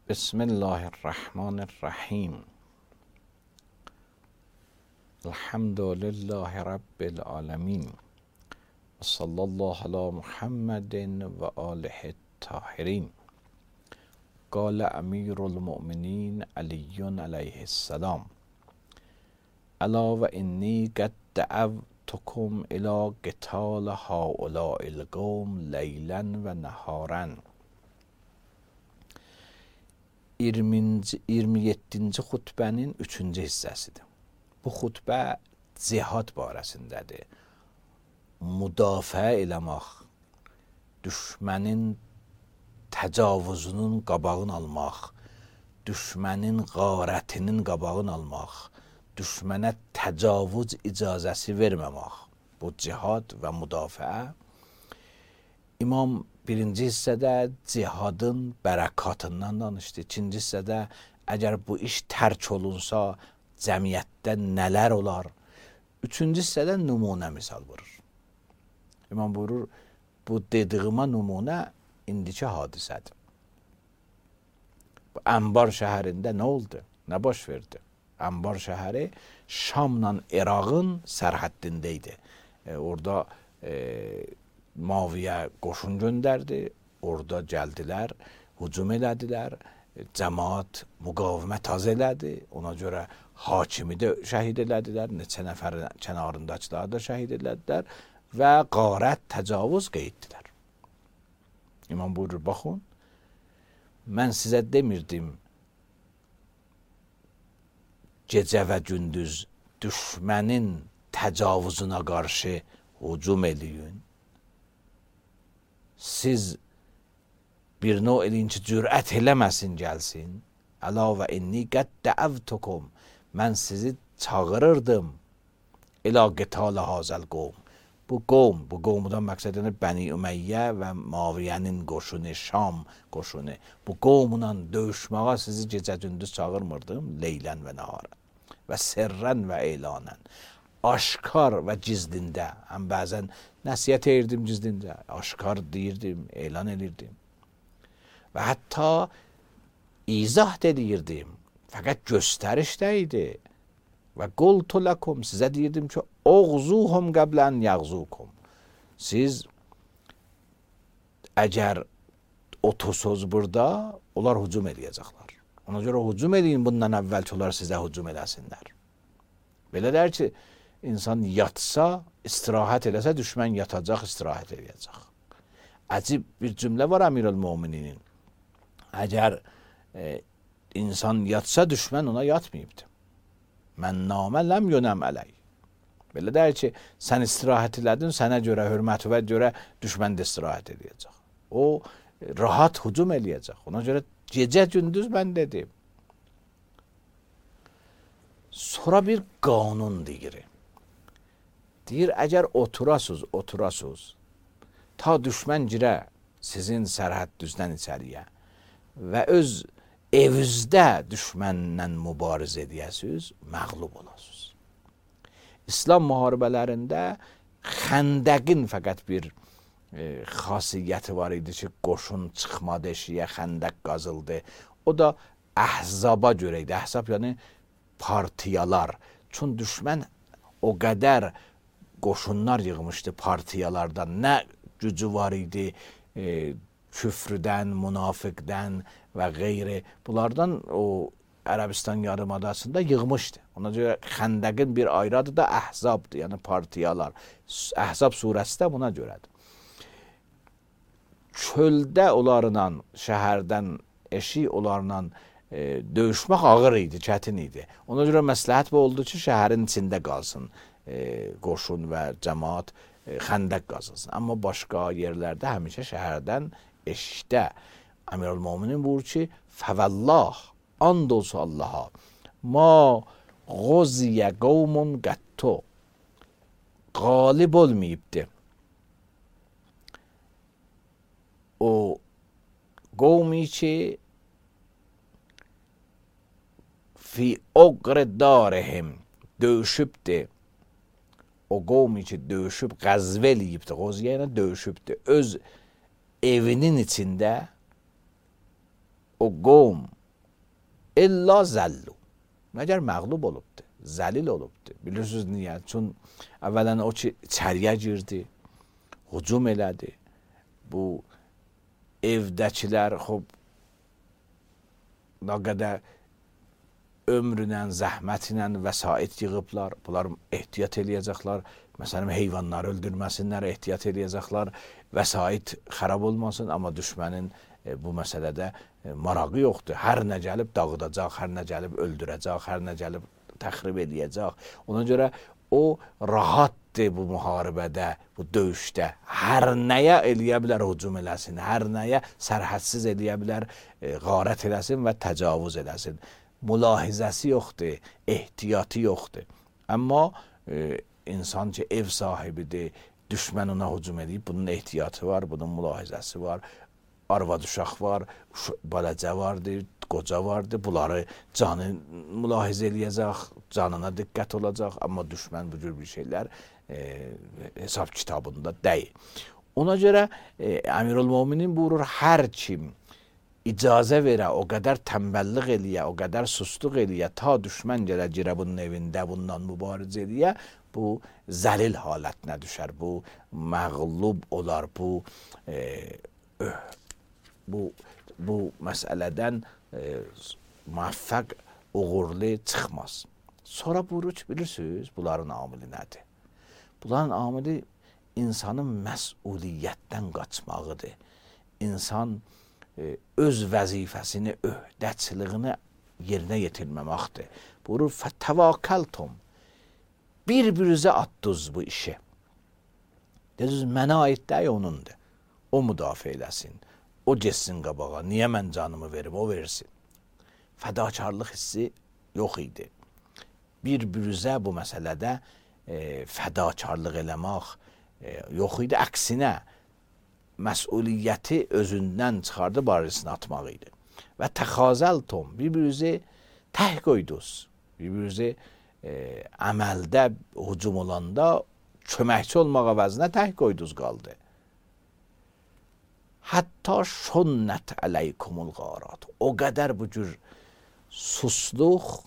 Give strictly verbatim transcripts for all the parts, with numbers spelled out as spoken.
بسم الله الرحمن الرحیم. الحمد لله رب العالمین و صلی الله علی محمد و آله الطاهرین. قال امیر المؤمنین علی علیه السلام: الا و انی قد دعوتکم الی قتال هؤلاء القوم لیلا و نهارا. iyirmi yeddinci xutbənin üçüncü hissəsidir. Bu xutbə cihad barəsindədir. Müdafiə eləmək, düşmənin təcavüzünün qabağını almaq, düşmənin qarətinin qabağını almaq, düşmənə təcavüz icazəsi verməmək. Bu cihad və müdafiə. İmam birinci hissədə cihadın bərəkatından danışdı. İkinci hissədə əgər bu iş tərk olunsa cəmiyyətdə nələr olar. Üçüncü hissədə nümunə misal vurur. İmam buyurur, bu dediyimə nümunə indiki hadisədir. Bu Ənbar şəhərində nə oldu? Nə baş verdi? Ənbar şəhəri Şamla İraqın sərhəddində idi. E, orada e, Maviyə qoşun göndərdi, orada gəldilər, hücum elədilər, cəmaat müqavimət az elədi, ona görə hakimi də şəhid elədilər, neçə nəfər kənarındakıları da şəhid elədilər və qarət, təcavüz qeyddilər. İmam buyurur, baxın, mən sizə demirdim, gecə və gündüz düşmənin təcavüzünə qarşı hücum eləyin. Siz bir növ eləyin ki, cürət eləməsin, gəlsin. Əla və inni qəd dəəvtukum. Mən sizi çağırırdım. İlə qital hazəl qovm. Bu qovm, bu qovmudan məqsəd yəni Bəni Ümeyyə və Maviyənin qoşunu, Şam qoşunu. Bu qovmla döyüşməyə sizi gecə-gündüz çağırmırdım. Leylən və nahara. Və sirrən və elanən. Aşkar və gizlində, həm bəzən nəsiyyət edirdim gizlində, aşkar deyirdim, elan edirdim. Və hətta izah edirdim, fəqət göstərişdə idi. Və qultu ləkum, sizə deyirdim ki, oğzuhum qəblən yəğzukum. Siz əgər otursunuz burada, onlar hücum eləyəcəklər. Ona görə hücum eləyin, bundan əvvəl ki, onlar sizə hücum eləsinlər. Belə der ki, İnsan yatsa, istirahət eləsə, düşmən yatacaq, istirahət eləyəcək. Əcib bir cümlə var Əmirül-Mömininin. Əgər e, insan yatsa, düşmən ona yatmayıbdır. Mən namə ləm yönəm ələy. Belə deyir ki, sən istirahət elədin, sənə görə, hörməti və görə düşmən də istirahət eləyəcək. O, rahat hücum eləyəcək. Ona görə gecə-gündüz mən dedim. Sonra bir qanun deyir. Deyir, əgər oturasız, oturasız, ta düşmən girə sizin sərhəd düzdən içəriyə və öz evinizdə düşmənlə mübarizə edəsiniz, məğlub olasınız. İslam müharibələrində xəndəqin fəqət bir e, xasiyyəti var idi ki, qoşun çıxmadı eşiyə, xəndəq qazıldı. O da əhzaba görə idi. Əhzab yəni partiyalar. Çün düşmən o qədər qoşunlar yığmışdı partiyalardan. Nə gücü var idi e, küfrdən, münafiqdən və qeyri. Bunlardan o Ərəbistan yarımadasında yığmışdı. Ona görə xəndəqin bir ayrı adı da əhzabdır, yəni partiyalar. Əhzab surəsi də buna görədir. Çöldə onlarla, şəhərdən eşi onlarla e, döyüşmək ağır idi, çətin idi. Ona görə məsləhət bu oldu ki, şəhərin içində qalsın. E, qoşun və cəmaat e, xəndək qazılsın. Amma başqa yerlərdə həmişə şəhərdən eşikdə Əmirül-Möminin buyurur ki, fəvəllah, and olsa Allaha, ma qoziyə qovmun qətto, qalib olmayıbdır. O qovmi ki, fi oqr darihim, döyüşübdir. O qovmi ki, döyüşüb, qəzvə eləyibdir, qoziyə ilə döyüşübdür. Öz evinin içində o qovm İlla zəllu. Məgər məğlub olubdu, zəlil olubdu. Bilirsiniz niyə? Çün əvvələn o ki, içəriyə girdi, hücum elədi. Bu evdəkilər xub nə qədər ömrünlə, zəhmətlə vəsait yığıblar. Bunlar ehtiyat eləyəcəklər. Məsələn, heyvanları öldürməsinlər, ehtiyat eləyəcəklər. Vəsait xarab olmasın, amma düşmənin e, bu məsələdə e, marağı yoxdur. Hər nə gəlib dağıdacaq, hər nə gəlib öldürəcək, hər nə gəlib təxrib eləyəcək. Ona görə o rahatdır bu müharibədə, bu döyüşdə. Hər nəyə eləyə bilər hücum eləsin, hər nəyə sərhədsiz eləyə bilər, e, qarət eləsin və təcavüz eləsin. Mülahizəsi yoxdur, ehtiyatı yoxdur. Amma e, insan ki ev sahibidir, düşmən ona hücum edib, bunun ehtiyatı var, bunun mülahizəsi var, arvad uşaq var, balacə vardır, qoca vardır, bunları canı mülahizə eləyəcək, canına diqqət olacaq, amma düşmən bu cür bir şeylər e, hesab kitabında deyil. Ona görə e, Əmirülmöminin buyurur, hər kim icazə verə, o qədər tənbəllik eləyə, o qədər susluq eləyə, ta düşmən gələ girə bunun evində, bundan mübarizə eləyə, bu zəlil halətinə düşər, bu məğlub olar, bu e, öh, bu, bu məsələdən e, müvəffəq, uğurlu çıxmaz. Sonra buyurur ki, bilirsiniz, bunların amili nədir? Bunların amili insanın məsuliyyətdən qaçmağıdır. İnsan öz vəzifəsini, öhdəçiliyini yerinə yetirməməkdir. Buyurur, fətəvakəltum, bir-birinizə atdınız bu işi. Dediniz, mənə aid deyil, onundur. O müdafiə eləsin, o geçsin qabağa, niyə mən canımı verim, o versin. Fədakarlıq hissi yox idi. Bir-birinizə bu məsələdə e, fədakarlıq eləmək e, yox idi, əksinə, məsuliyyəti özündən çıxardı, barəsini atmaq idi. Və təxazəltum, bir-birinizi təh qoydunuz, bir-birinizi e, əməldə hücum olanda köməkçi olmaq əvəzinə təh qoydunuz qaldı. Hətta şunnət əleykumul qarat. O qədər bu cür susluq,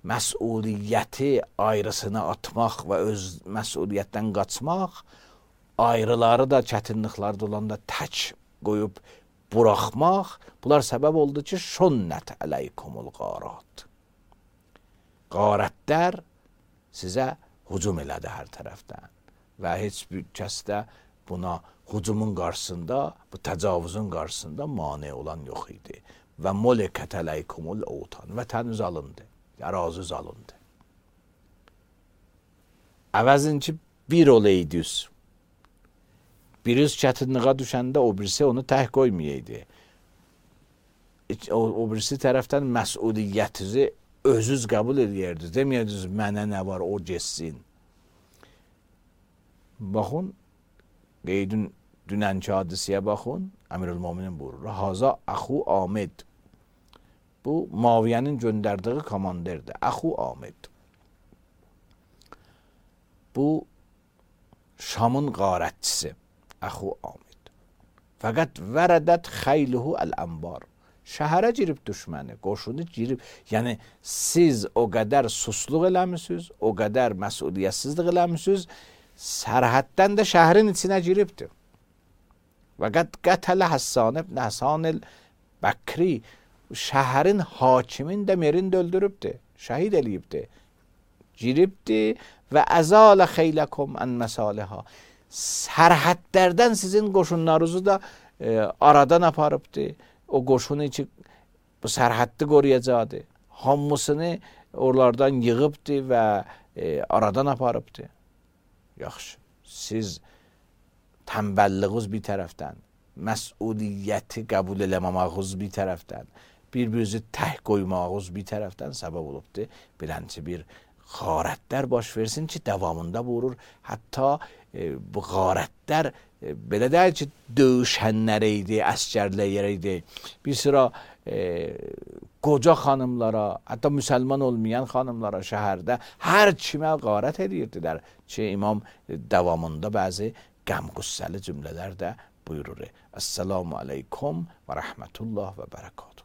məsuliyyəti ayrısına atmaq və öz məsuliyyətdən qaçmaq, ayrıları da, çətinlikləri olanda tək qoyub buraxmaq, bunlar səbəb oldu ki, şunnət əleykumul qarat. Qarətlər sizə hücum elədi hər tərəfdən və heç bir kəs də buna hücumun qarşısında, bu təcavüzün qarşısında mane olan yox idi. Və molekət əleykumul outan, vətəniz alındı, əraziniz alındı. Əvəzin ki, bir olaydınız, birisi çətinliğə düşəndə o birisi onu təh qoymayaydı. O, o birisi tərəfdən məsuliyyətinizi özünüz qəbul edərdiniz. Deməyədiniz, mənə nə var, o geçsin. Baxın, qeydin dünənki hadisiyə baxın, Əmirülmöminin buyurur. Haza əxu Amid. Bu, Muaviyyənin göndərdiyi komanderdir. Əxu Amid. Bu, Şamın qarətçisi. Əxu Amid. Fəqət vərədət xeyluhu əl-ənbar. Şəhərə girib düşməni, qoşunu girib. Yəni, siz o qədər susluq eləmişsiniz, o qədər məsuliyyətsizlik eləmişsiniz, sərhəddən də şəhərin içinə giribdir. Fəqət qətələ Həssan ibn Həsan el-Bəkri, şəhərin hakimin də merin də öldürübdür, şəhid eləyibdir. Giribdir və əzalə xeyləkum ən məsaliha. Sərhədlərdən sizin qoşunlarınızı da e, aradan aparıbdır. O qoşunu ki, bu sərhəddi qoruyacaqdır. Hamısını oralardan yığıbdır və e, aradan aparıbdır. Yaxşı, siz tənbəlliyiniz bir tərəfdən, məsuliyyəti qəbul eləməməyiniz bir tərəfdən, bir-birinizi təh qoymağınız bir tərəfdən səbəb olubdur. Bilənçi bir qarətlər baş versin ki, davamında buyurur. Hətta e, bu qarətlər e, belə deyil ki, döyüşənlərə idi, əskərlərə idi. Bir sıra e, qoca xanımlara, hətta müsəlman olmayan xanımlara şəhərdə hər kimə qarət edirdilər ki, imam davamında bəzi qəm-qüssəli cümlələr də buyurur. Əssəlamu aleykum və rəhmətullah və bərəkatuhu.